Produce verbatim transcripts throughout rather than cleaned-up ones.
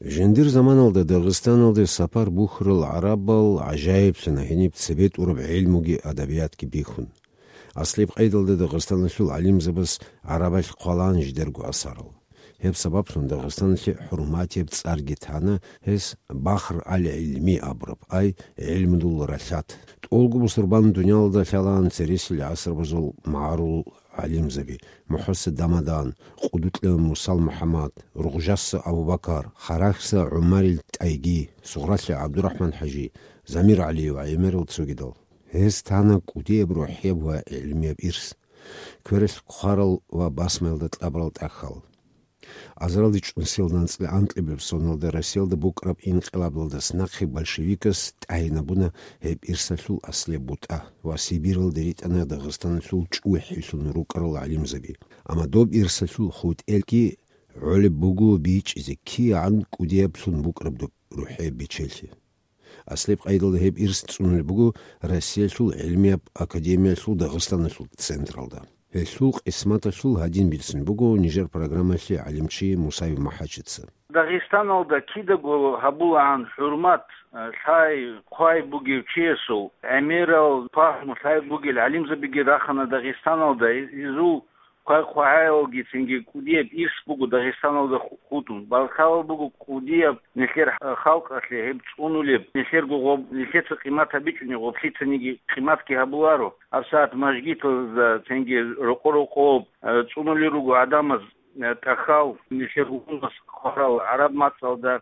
Жиндир заманалда Дагъистаналде сапар бухьарал гӀарабал гӀажаиблъана гьениб цебетӀураб гӀилмуги адабиятги бихьун. Аслияб къайдалда Дагъистаналъул гӀалимзабаз гӀарабалъ хъвалаан жидерго асарал. Гьеб сабаблъун Дагъистаналъе хӀурматияб цӀарги тана гьес Бахр аль-ГӀилми абураб, ай гӀилмудул ралъад. ТӀолго бусурбан дуниялалда лъалаан цересел гӀасрабазул магӀарул гӀалимзаби: МухӀса Дамадан, Къудукьа Мусал МухӀаммад, Ругъжаса Абу-Бакар, Харахьса ГӀумарил ТӀайги, Сугъралъа ГӀабдурахӀман-хӀажи, Замир ГӀалиев ва гӀемерал цогидал. Гьез тана кӀудияб рухӀияб ва гӀилмияб ирс, квералъ хъварал ва басмаялда кьабурал тӀахьал. Азаралде чӀун сел анцӀила анкьабилеб соналда Россиялда букӀараб инкъилабалдаса нахъе большевикас тӀагӀинабуна гьеб ирсалъул аслияб бутӀа ва Сибиралде ритӀана Дагъистаналъул чӀухӀилъун рукӀарал гӀалимзаби. Амма доб ирсалъул хутӀелги гӀолеб буго бичӀчӀизе кигӀан кӀудияблъун букӀараб доб рухӀияб бечелъи. Аслияб къайдалда гьеб ирс цӀунулеб буго Россиялъул гӀилмияб академиялъул Дагъистаналъул централда. Гьелъул къисматалъул гьадин бицун буго нижер программалъе гӀалимчи Мусаев МахӀачица. Дагъистаналда кидаго гьабулаан хӀурмат, э, лъай, хъвай бугев чиясул, гӀемерал пагьму лъай бугел гӀалимзабиги рахана Дагъистаналда, изул хъвай-хъвагӀаялги цинги кӀудияб ирс буго Дагъистаналда ху-, хутӀун. Балкалал буго кӀудияб нилъер халкъалъе гьеб цӀунулеб, нилъерго гъоб-, нилъеца къимат гьабичӀони гъоблъицаниги къиматги гьабуларо. ГьабсагӀат мажгиталда цинги рокъо-рокъоб, э, цӀунулел руго гӀадамаз, э, тӀахьал нилъер гьунас хварал гӀараб мацӀалда,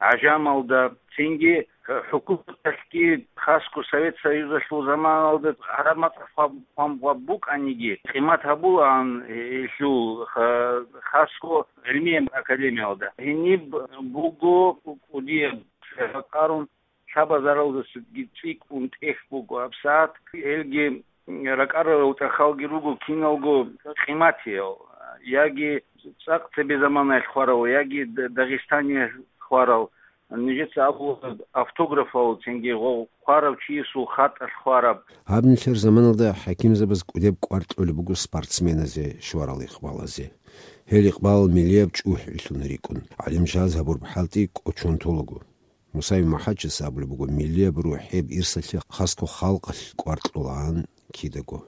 гӀажамалда, цинги хӀукуматалъги, хасго Совет Союзалъул заманалда гӀараб мацӀалъ хъван-, хъван-, хъван букӀаниги, къимат гьабулаан гьелъул ха-, хасго гӀилмияб академиялда. Гьениб буго кӀудияб ракӀарун, лъабазаралдасаги цӀикӀкӀун тӀехь буго гьабсагӀат, гьелги ракӀарарал тӀахьалги руго киналго къиматиял, яги цӀакъ цебе заманаялъ хварал, яги Д-, Дагъистаниялъ хварал, нижеца абула автографал цинги гъо-, хварав чиясул хатӀалъ хвараб. Гьаб нилъер заманалда хӀакимзабаз кӀудеб кӀвар кьолеб буго спортсменазе, щварал икъбалазе. Гьел икъбал миллияб чӀухӀилъун рикӀкӀун, гӀалимчияз гьабураб хӀалтӀи кӀочон толаго. Мусаев МахӀачица абулеб буго, миллияб рухӀияб ирсалъе хасго халкъалъ кӀвар кьолаан кидаго.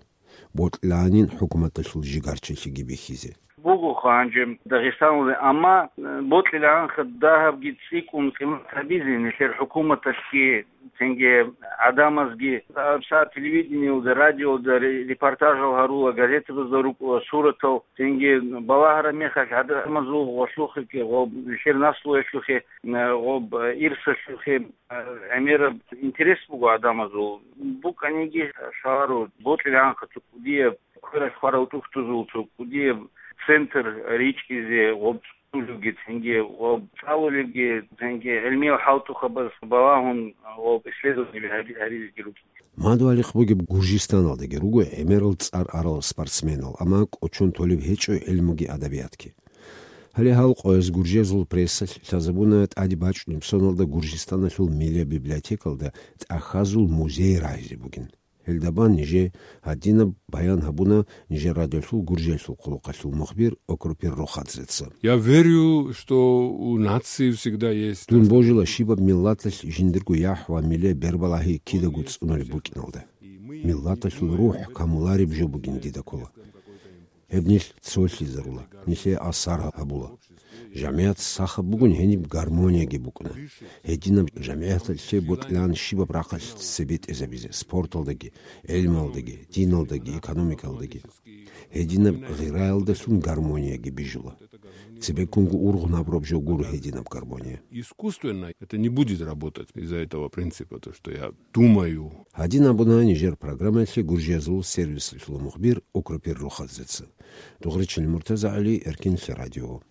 Бокьилаанин хӀукуматалъул жигарчилъиги бихьизе. Буго гьанже Дагъистаналда, амма, э, бокьилаанха дагьабги цӀикӀкӀун къимат гьабизе нилъер хӀукуматалъги, цинги гӀадамазги. ГьабсагӀат телевидениялда, радиоялда ре-, репортажал гьарула, газетабазда рукӀула суратал, цинги балагьараб мехалъ гӀадамазул гъолъухъеги, гъоб-, нилъер наслуялъухъе, э, гъоб-, э, ирсалъухъе, э, гӀемераб интерес буго гӀадамазул. БукӀаниги лъаларо, бокьилаанха цо кӀудияб, квералъ хварал тӀухьдузул цо кӀудияб центр ричӀчӀизе, гъоб цӀунулевги цинги, гъоб цӀалулевги цинги, гӀилмиял хӀалтӀухъабаз балагьун, гъоб исследование гьари-, гьаризеги рукӀине. Мадугьалихъ бугеб Гуржистаналдаги руго гӀемерал цӀар арал спортсменал, амма кӀочон толеб гьечӀо гӀилмуги адабиятги. Гьале гьал къояз гуржиязул прессалъ лъазабуна тӀаде бачӀунеб соналда Гуржистаналъул миллияб библиотекалда тӀахьазул музей рагьизе бугин. Гьелда бан нижее гьадинаб баян гьабуна нижер радиолъул Гуржиялъул хъулухъалъул мухбир Окропир Рохадзеца. Я верю, что у нации всегда есть... Дун божила щибаб миллаталъ жиндирго яхӀ ва миллияб бербалагьи кидаго цӀунулеб букӀиналда. Миллаталъул рухӀ камулареб жо бугин дида ккола. Гьеб нилъ цолъизарула, нилъее асар гьабула. ЖамигӀат сахаб бугин гьениб гармонияги букӀуна. Гьединаб жамигӀаталъе бокьилаан щибаб рахъалъ цебетӀезабизе, спорталдаги, гӀилмалдаги, диналдаги, экономикалдаги. Гьединаб гъираялдалъун гармонияги бижула. Цебеккунго ургъун гьабураб жо гуро гьединаб гармония. Искусственно это не будет работать из-за этого принципа, то, что я думаю. Гьадин абуна нижер программаялъе Гуржиязул сервисалъул мухбир Окропир Рохадзеца. Дугъричил Муртаза ГӀали, Эркинлъи радио.